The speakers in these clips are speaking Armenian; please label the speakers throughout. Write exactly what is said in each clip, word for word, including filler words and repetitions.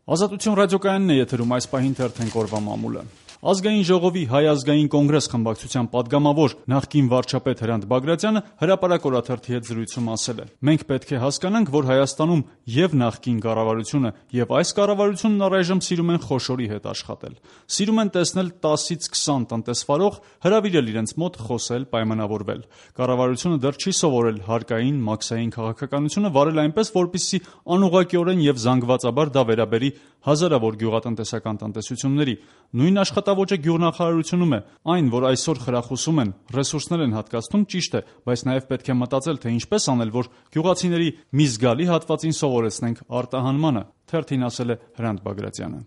Speaker 1: Ազատություն ռադիոկայանն է եթերում, այս պահին թերթենք օրվա մամուլը։ Ազգային ժողովի Հայ ազգային կոնգրես խմբակցության պատգամավոր նախկին վարչապետ Հրանտ Բագրատյանը հրապարակ օրաթերթի հետ զրույցում ասել է. «Մենք պետք է հասկանանք, որ Հայաստանում եւ նախկին կառավարությունը եւ այս կառավարությունն առայժմ սիրում են խոշորի հետ աշխատել։ Սիրում են տեսնել տասից քսան տնտեսվարող հրավիրել իրենց մոտ, խոսել, պայմանավորվել։ Կառավարությունը դեռ չի սովորել հարկային, մաքսային քաղաքականությունը վարել այնպես, որպեսզի անուղղակիորեն եւ զանգվածաբար դա վերաբերի հազարավոր գյուղատնտեսական տնտեսությունների։ Նույն աշխատավոճը գյուղնախարարությունում է։ Այն, որ այսօր խրախուսում են, ռեսուրսներ են հատկացնում, ճիշտ է, բայց նաև պետք է մտածել, թե ինչպես անել, որ գյուղացիների մի զգալի հատվածին սովորեցնենք արտահանմանը», թերթին ասել է Հրանտ Բագրատյանը։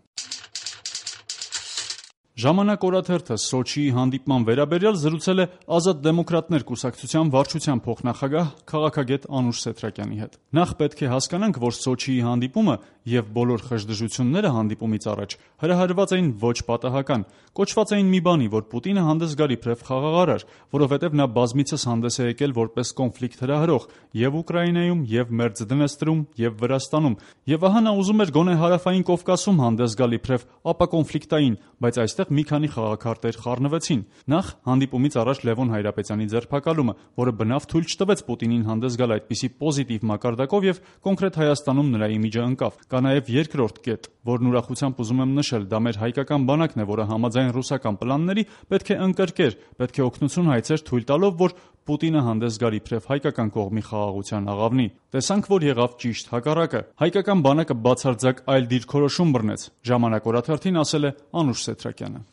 Speaker 1: «Ժամանակ» օրաթերթը Սոչիի հանդիպման վերաբերյալ զրուցել է Ազատ դեմոկրատներ կուսակցության վարչության փոխնախագահ քաղաքագետ Անուշ Սեթրակյանի հետ։ Նախ պետք է հասկանանք, որ Սոչիի հանդիպումը եւ բոլոր խժդժությունները հանդիպումից առաջ հրահրված էին ոչ պատահական, կոչված էին մի բանի, որ Պուտինը հանդես գար իբրև խաղաղարար, որովհետեւ նա բազմիցս հանդես է եկել որպես կոնֆլիկտ հրահրող եւ Ուկրաինայում, եւ Մերձդնեստրում, եւ Վրաստանում, եւ ահա նա ուզում էր գոնե Հարավային Կովկասում հանդես գալ իբրև ապակոնֆլիկտային, բայց այստեղ մի քանի խաղաքարտեր խառնվեցին։ Նախ հանդիպումից առաջ Լևոն Հայրապետյանի ձերբակալումը, որը բնավ թույլ չտվեց Պուտինին հանդես գալ այդպիսի պոզիտիվ մակարդակով եւ կոնկրետ Հայաստանում նրա իմիջը ընկավ։ Կա նաեւ երկրորդ կետ, որն ուրախությամբ ուզում եմ նշել, դա մեր հայկական բանակն է, որը համաձայն ռուսական պլանների պետք է ընկրկեր, պետք է օգնություն հայցեր, թույլ տալով, որ Պուտինը հանդես գար իբրև հայկական կողմի խաղաղության աղավնի։ Տեսանք, որ եղավ ճիշտ հակառակը։ Հայկական բանակը բացարձակ այլ դիրքորոշում բռնեց, «Ժամանակ» օրաթերթին ասել է Անուշ Սեթրակյանը։